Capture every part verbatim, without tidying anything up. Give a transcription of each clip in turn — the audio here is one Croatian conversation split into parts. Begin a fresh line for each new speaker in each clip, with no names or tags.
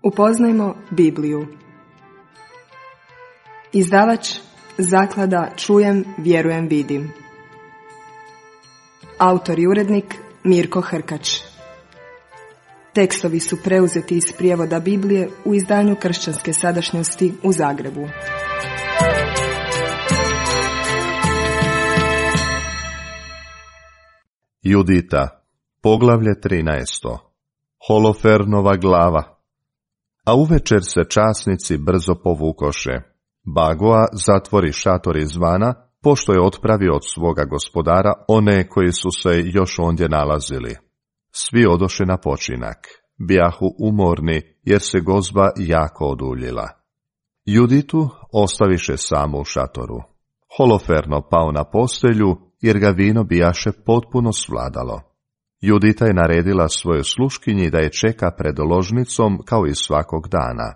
Upoznajmo Bibliju. Izdavač Zaklada Čujem, vjerujem, vidim. Autor i urednik Mirko Hrkač. Tekstovi su preuzeti iz prijevoda Biblije u izdanju Kršćanske sadašnjosti u Zagrebu.
Judita, poglavlje trinaesto. Holofernova glava. A uvečer se časnici brzo povukoše. Bagoa zatvori šator izvana, pošto je otpravio od svoga gospodara one koji su se još ondje nalazili. Svi odoše na počinak. Bijahu umorni, jer se gozba jako oduljila. Juditu ostaviše samo u šatoru. Holoferno pao na postelju, jer ga vino bijaše potpuno svladalo. Judita je naredila svojoj sluškinji da je čeka pred ložnicom kao i svakog dana.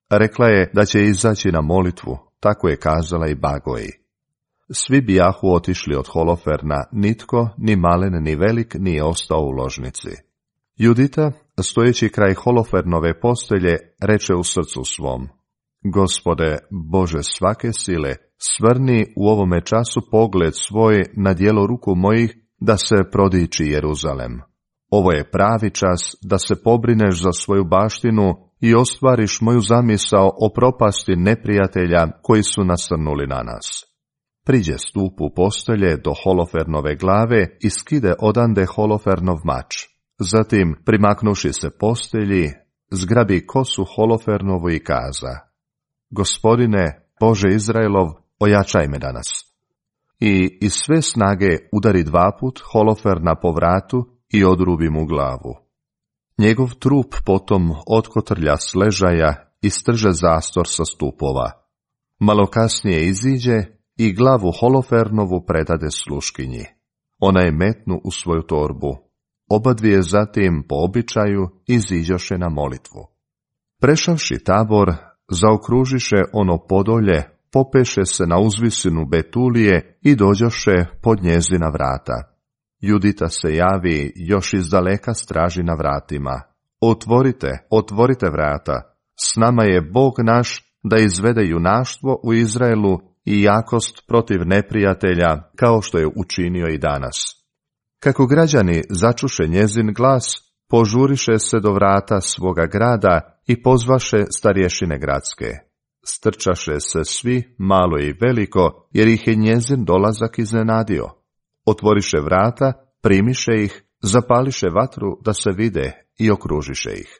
Rekla je da će izaći na molitvu, tako je kazala i Bagoji. Svi bijahu otišli od Holoferna, nitko, ni malen ni velik, nije ostao u ložnici. Judita, stojeći kraj Holofernove postelje, reče u srcu svom: Gospode, Bože svake sile, svrni u ovome času pogled svoj na djelo ruku mojih, da se prodiči Jeruzalem. Ovo je pravi čas da se pobrineš za svoju baštinu i ostvariš moju zamisao o propasti neprijatelja koji su nasrnuli na nas. Priđe stupu postelje do Holofernove glave i skide odande Holofernov mač. Zatim, primaknuši se postelji, zgrabi kosu Holofernovu i kaza: Gospodine, Bože Izraelov, ojačaj me danas. I iz sve snage udari dvaput Holoferna po vratu i odrubi mu glavu. Njegov trup potom otkotrlja s ležaja i strže zastor sa stupova. Malo kasnije iziđe i glavu Holofernovu predade sluškinji. Ona je metnu u svoju torbu. Obadvije zatim po običaju iziđoše na molitvu. Prešavši tabor, zaokružiše ono podolje, popeše se na uzvisinu Betulije i dođoše pod njezina vrata. Judita se javi, još iz daleka straži na vratima: Otvorite, otvorite vrata, s nama je Bog naš da izvede junaštvo u Izraelu i jakost protiv neprijatelja, kao što je učinio i danas. Kako građani začuše njezin glas, požuriše se do vrata svoga grada i pozvaše starješine gradske. Strčaše se svi, malo i veliko, jer ih je njezin dolazak iznenadio. Otvoriše vrata, primiše ih, zapališe vatru da se vide i okružiše ih.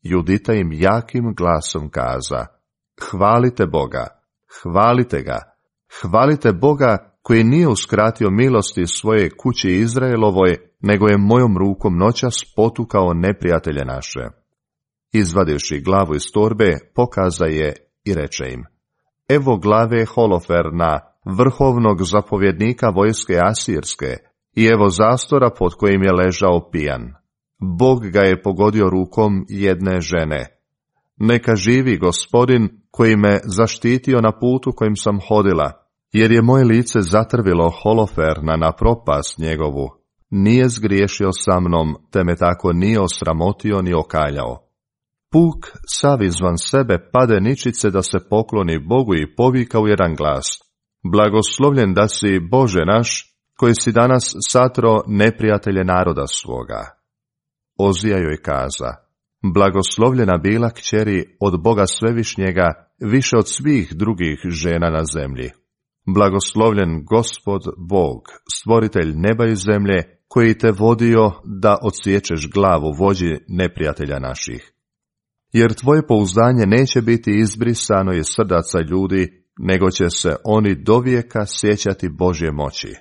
Judita im jakim glasom kaza: Hvalite Boga, hvalite ga, hvalite Boga koji nije uskratio milosti svoje kući Izraelovoj, nego je mojom rukom noćas potukao neprijatelje naše. Izvadivši glavu iz torbe, pokaza je i reče im: Evo glave Holoferna, vrhovnog zapovjednika vojske Asirske, i evo zastora pod kojim je ležao pijan. Bog ga je pogodio rukom jedne žene. Neka živi Gospodin koji me zaštitio na putu kojim sam hodila, jer je moje lice zatrvilo Holoferna na propast njegovu. Nije zgriješio sa mnom, te me tako nije osramotio ni okaljao. Puk sav izvan sebe pade ničice da se pokloni Bogu i povika u jedan glas: Blagoslovljen da si, Bože naš, koji si danas satro neprijatelje naroda svoga. Ozija joj kaza: Blagoslovljena bila kćeri od Boga Svevišnjega, više od svih drugih žena na zemlji. Blagoslovljen Gospod Bog, stvoritelj neba i zemlje, koji te vodio da odsiječeš glavu vođi neprijatelja naših. Jer tvoje pouzdanje neće biti izbrisano iz srdaca ljudi, nego će se oni dovijeka sjećati Božje moći.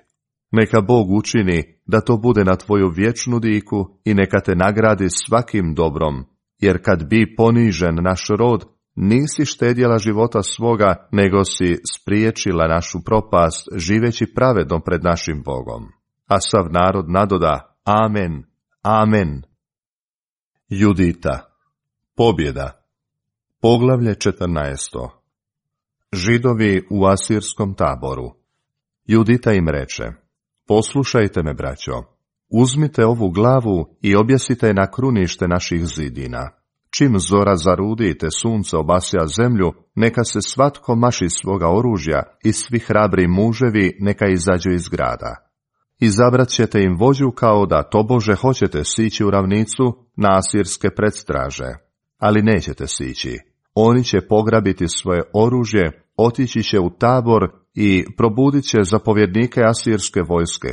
Neka Bog učini da to bude na tvoju vječnu diku i neka te nagradi svakim dobrom, jer kad bi ponižen naš rod, nisi štedjela života svoga, nego si spriječila našu propast, živeći pravedno pred našim Bogom. A sav narod nadoda: Amen, amen. Judita, pobjeda. Poglavlje četrnaesto. Židovi u asirskom taboru. Judita im reče: Poslušajte me, braćo, uzmite ovu glavu i objesite je na krunište naših zidina. čim zora zarudi te sunce obasja zemlju, neka se svatko maši svoga oružja i svi hrabri muževi neka izađu iz grada. Izabrat ćete im vođu kao da tobože hoćete sići u ravnicu na asirske predstraže, ali nećete sići. Oni će pograbiti svoje oružje, otići će u tabor i probudit će zapovjednike asirske vojske.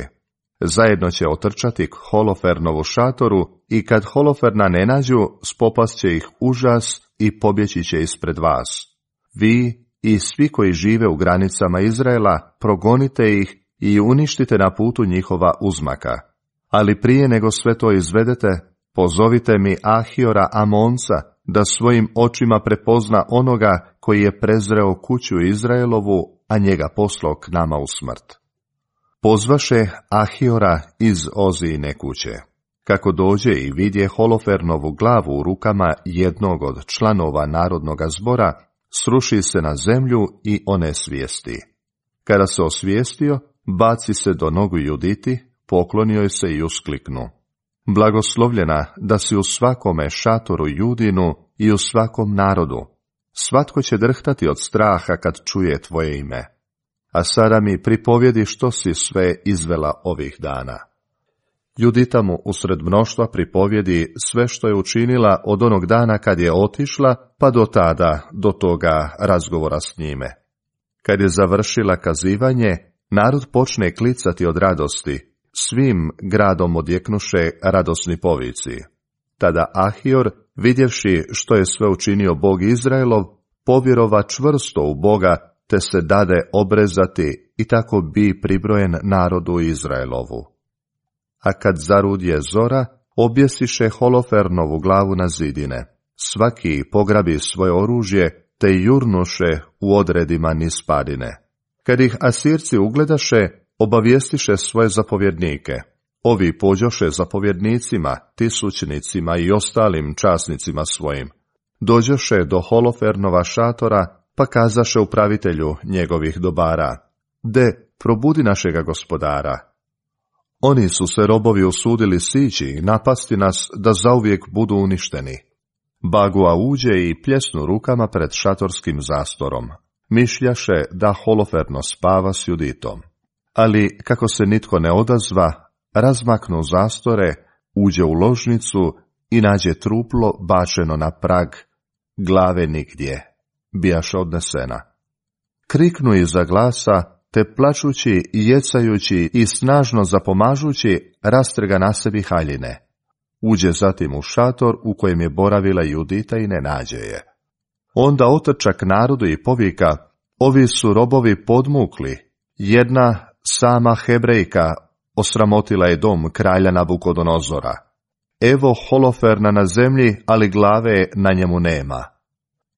Zajedno će otrčati k Holofernovu šatoru i kad Holoferna ne nađu, spopast će ih užas i pobjeći će ispred vas. Vi i svi koji žive u granicama Izraela progonite ih i uništite na putu njihova uzmaka. Ali prije nego sve to izvedete, pozovite mi Ahiora Amonca, da svojim očima prepozna onoga koji je prezreo kuću Izraelovu, a njega poslao k nama u smrt. Pozvaše Ahiora iz Ozijine kuće. Kako dođe i vidje Holofernovu glavu u rukama jednog od članova narodnoga zbora, sruši se na zemlju i onesvijesti. Kada se osvijestio, baci se do nogu Juditi, poklonio je se i uskliknu: Blagoslovljena da si u svakome šatoru Judinu i u svakom narodu. Svatko će drhtati od straha kad čuje tvoje ime. A sada mi pripovjedi što si sve izvela ovih dana. Judita mu usred mnoštva pripovjedi sve što je učinila od onog dana kad je otišla, pa do tada, do toga razgovora s njime. Kad je završila kazivanje, narod počne klicati od radosti, svim gradom odjeknuše radosni povici. Tada Ahior, vidjevši što je sve učinio Bog Izraelov, povjerova čvrsto u Boga, te se dade obrezati i tako bi pribrojen narodu Izraelovu. A kad zarudje zora, objesiše Holofernovu glavu na zidine. Svaki pograbi svoje oružje, te jurnuše u odredima niz padine. Kad ih Asirci ugledaše, obavijestiše svoje zapovjednike. Ovi pođoše zapovjednicima, tisućnicima i ostalim časnicima svojim. Dođoše do Holofernova šatora, pa kazaše upravitelju njegovih dobara: De, probudi našega gospodara. Oni su se robovi usudili sići i napasti nas da zauvijek budu uništeni. Bagua uđe i pljesnu rukama pred šatorskim zastorom. Mišljaše da Holoferno spava s Juditom. Ali kako se nitko ne odazva, razmaknu zastore, uđe u ložnicu i nađe truplo bačeno na prag, glave nigdje, bijaše odnesena. Kriknu iza glasa, te plačući i jecajući i snažno zapomažući, rastrga na sebi haljine. Uđe zatim u šator u kojem je boravila Judita i ne nađe je. Onda otrča k narodu i povika: Ovi su robovi podmukli. Jedna sama Hebrejka osramotila je dom kralja Nabukodonozora. Evo Holoferna na zemlji, ali glave na njemu nema.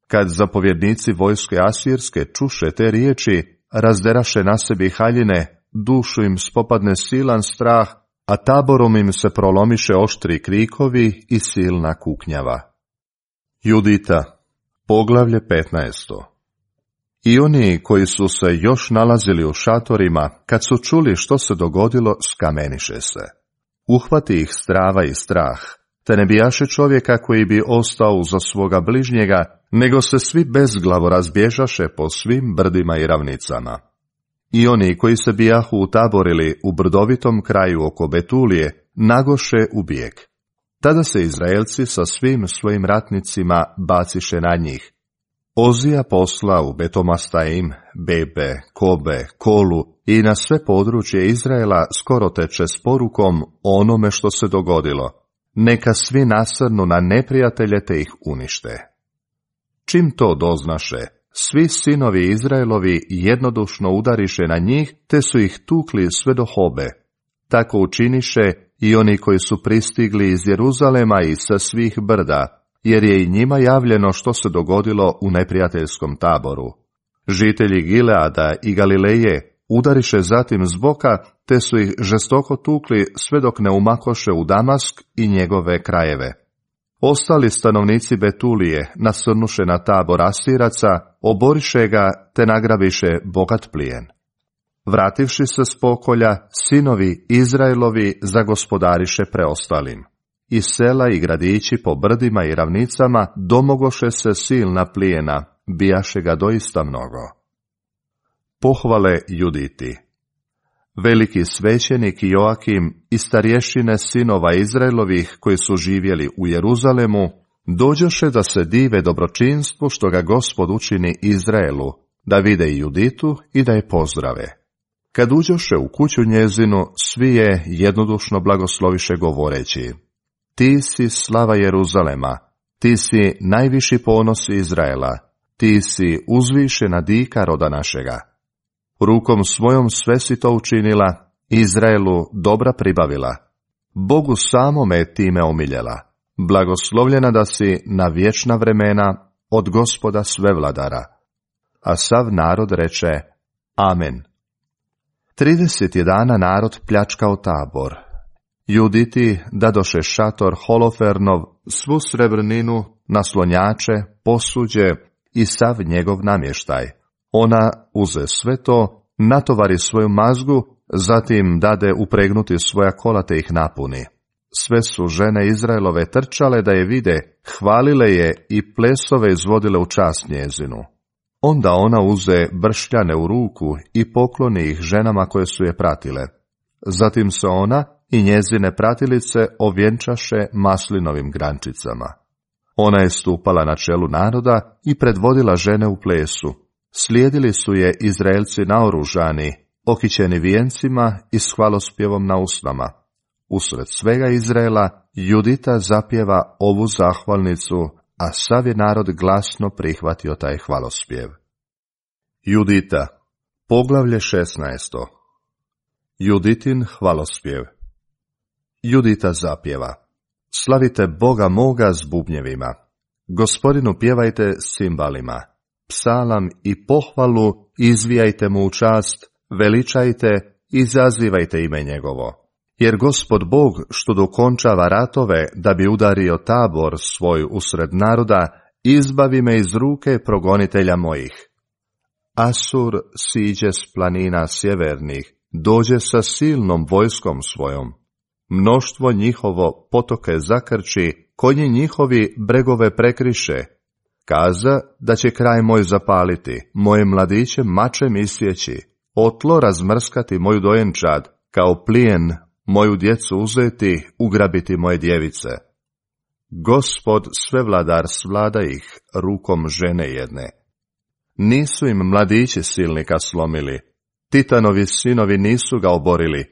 Kad zapovjednici vojske asirske čuše te riječi, razderaše na sebi haljine, dušu im spopadne silan strah, a taborom im se prolomiše oštri krikovi i silna kuknjava. Judita, poglavlje petnaesto. I oni koji su se još nalazili u šatorima, kad su čuli što se dogodilo, skameniše se. Uhvati ih strava i strah, te ne bijaše čovjeka koji bi ostao za svoga bližnjega, nego se svi bezglavo razbježaše po svim brdima i ravnicama. I oni koji se bijahu utaborili u brdovitom kraju oko Betulije, nagoše u bijeg. Tada se Izraelci sa svim svojim ratnicima baciše na njih. Ozija posla u Betomastajim, Bebe, Kobe, Kolu i na sve područje Izraela skoro teče s porukom o onome što se dogodilo. Neka svi nasrnu na neprijatelje te ih unište. Čim to doznaše, svi sinovi Izraelovi jednodušno udariše na njih, te su ih tukli sve do Hobe. Tako učiniše i oni koji su pristigli iz Jeruzalema i sa svih brda, jer je i njima javljeno što se dogodilo u neprijateljskom taboru. Žitelji Gileada i Galileje udariše zatim s boka, te su ih žestoko tukli sve dok ne umakoše u Damask i njegove krajeve. Ostali stanovnici Betulije nasrnuše na tabor Asiraca, oboriše ga te nagrabiše bogat plijen. Vrativši se s pokolja, sinovi Izraelovi zagospodariše preostalim. i sela i gradići po brdima i ravnicama domogoše se silna plijena, bijaše ga doista mnogo. Pohvale Juditi. Veliki svećenik Joakim i starješine sinova Izraelovih koji su živjeli u Jeruzalemu, dođoše da se dive dobročinstvu što ga Gospod učini Izraelu, da vide i Juditu i da je pozdrave. Kad uđoše u kuću njezinu, svi je jednodušno blagosloviše govoreći: Ti si slava Jeruzalema, ti si najviši ponos Izraela, ti si uzvišena dika roda našega. Rukom svojom sve si to učinila, Izraelu dobra pribavila. Bogu samome time omiljela. Blagoslovljena da si na vječna vremena od Gospoda svevladara. A sav narod reče: Amen. Trideset je dana narod pljačkao Tabor. Juditi dadoše šator Holofernov, svu srebrninu, naslonjače, posuđe i sav njegov namještaj. Ona uze sve to, natovari svoju mazgu, zatim dade upregnuti svoja kola te ih napuni. Sve su žene Izraelove trčale da je vide, hvalile je i plesove izvodile u čast njezinu. Onda ona uze bršljane u ruku i pokloni ih ženama koje su je pratile. Zatim se ona i njezine pratilice ovjenčaše maslinovim grančicama. Ona je stupala na čelu naroda i predvodila žene u plesu. Slijedili su je Izraelci naoružani, okićeni vijencima i s hvalospjevom na usnama. Usred svega Izraela Judita zapjeva ovu zahvalnicu, a sav je narod glasno prihvatio taj hvalospjev. Judita, poglavlje šesnaesto. Juditin hvalospjev. Judita zapjeva: Slavite Boga moga s bubnjevima, Gospodinu pjevajte s cimbalima, psalam i pohvalu izvijajte mu u čast, veličajte i izazivajte ime njegovo. Jer Gospod Bog što dokončava ratove da bi udario Tabor svoj usred naroda, izbavi me iz ruke progonitelja mojih. Asur siđe s planina sjevernih, dođe sa silnom vojskom svojom. Mnoštvo njihovo potoke zakrči, konji njihovi bregove prekriše. Kaza da će kraj moj zapaliti, moje mladiće mačem isjeći, otlo razmrskati moju dojenčad, kao plijen moju djecu uzeti, ugrabiti moje djevice. Gospod svevladar svlada ih rukom žene jedne. Nisu im mladići silnika slomili, Titanovi sinovi nisu ga oborili,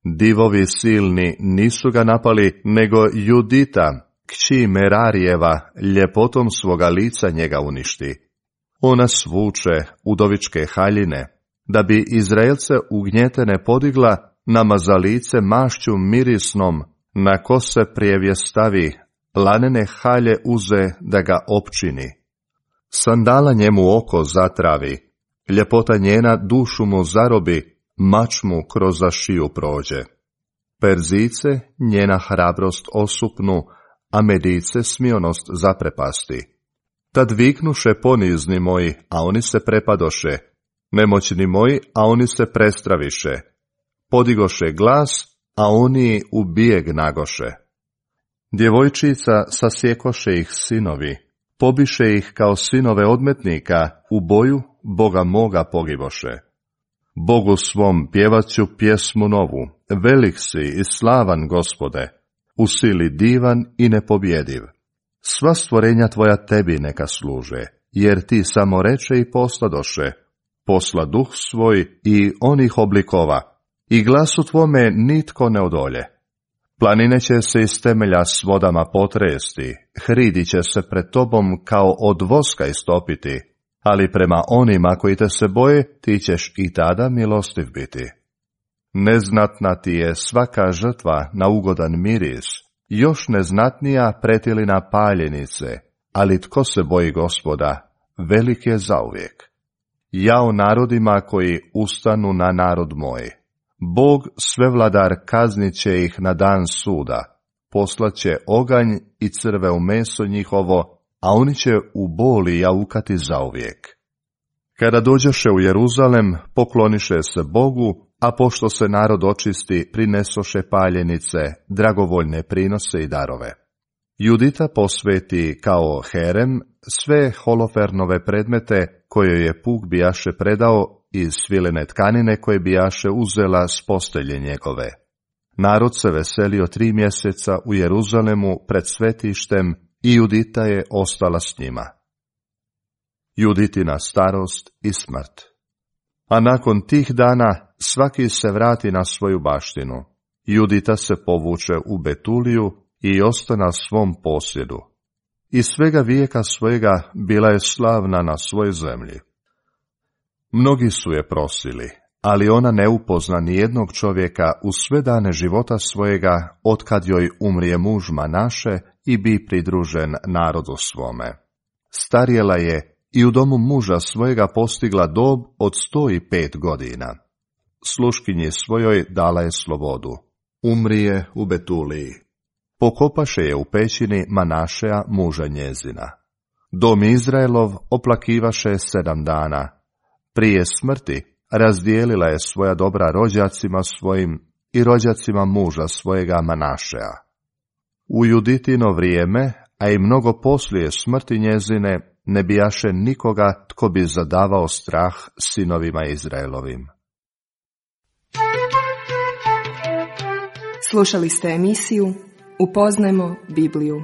divovi silni nisu ga napali, nego Judita, kći Merarijeva, ljepotom svoga lica njega uništi. Ona svuče udovičke haljine, da bi Izraelce ugnjetene podigla, namaza lice mašću mirisnom, na kose prijevje stavi, lanene halje uze da ga opčini. Sandala njemu oko zatravi, ljepota njena dušu mu zarobi, mač mu kroz za šiju prođe. Perzice njena hrabrost osupnu, a Medice smionost zaprepasti. Tad viknuše ponizni moji, a oni se prepadoše, nemoćni moji, a oni se prestraviše. Podigoše glas, a oni u bijeg nagoše. Djevojčica sasjekoše ih sinovi, pobiše ih kao sinove odmetnika, u boju Boga moga pogiboše. Bogu svom pjevat ću pjesmu novu, velik si i slavan Gospode, u sili divan i nepobjediv. Sva stvorenja tvoja tebi neka služe, jer ti samo reče i posladoše, posla duh svoj i onih oblikova, i glasu tvome nitko ne odolje. Planine će se iz temelja s vodama potresti, hridi će se pred tobom kao od voska istopiti, ali prema onima koji te se boje, ti ćeš i tada milostiv biti. Neznatna ti je svaka žrtva na ugodan miris, još neznatnija pretilina paljenice, ali tko se boji Gospoda, velik je zauvijek. Jao narodima koji ustanu na narod moj. Bog svevladar kaznit će ih na dan suda, poslaće oganj i crve u meso njihovo, a oni će u boli jaukati zauvijek. Kada dođoše u Jeruzalem, pokloniše se Bogu, a pošto se narod očisti, prinesoše paljenice, dragovoljne prinose i darove. Judita posveti kao herem sve Holofernove predmete koje je puk bijaše predao iz svilene tkanine koje bijaše uzela s postelje njegove. Narod se veselio tri mjeseca u Jeruzalemu pred svetištem i Judita je ostala s njima. Juditina starost i smrt. A nakon tih dana svaki se vrati na svoju baštinu. Judita se povuče u Betuliju i ostana svom posjedu. I svega vijeka svojega bila je slavna na svojoj zemlji. Mnogi su je prosili, ali ona ne upozna ni jednog čovjeka u sve dane života svojega, otkad joj umrije muž Manaše i bi pridružen narodu svome. Starjela je i u domu muža svojega postigla dob od sto i pet godina. Sluškinji svojoj dala je slobodu. Umrije u Betuliji. Pokopaše je u pećini Manašeja muža njezina. Dom Izraelov oplakivaše sedam dana. Prije smrti razdijelila je svoja dobra rođacima svojim i rođacima muža svojega Manašeja. U Juditino vrijeme, a i mnogo poslije smrti njezine, ne bijaše nikoga tko bi zadavao strah sinovima Izraelovim.
Slušali ste emisiju Upoznajmo Bibliju.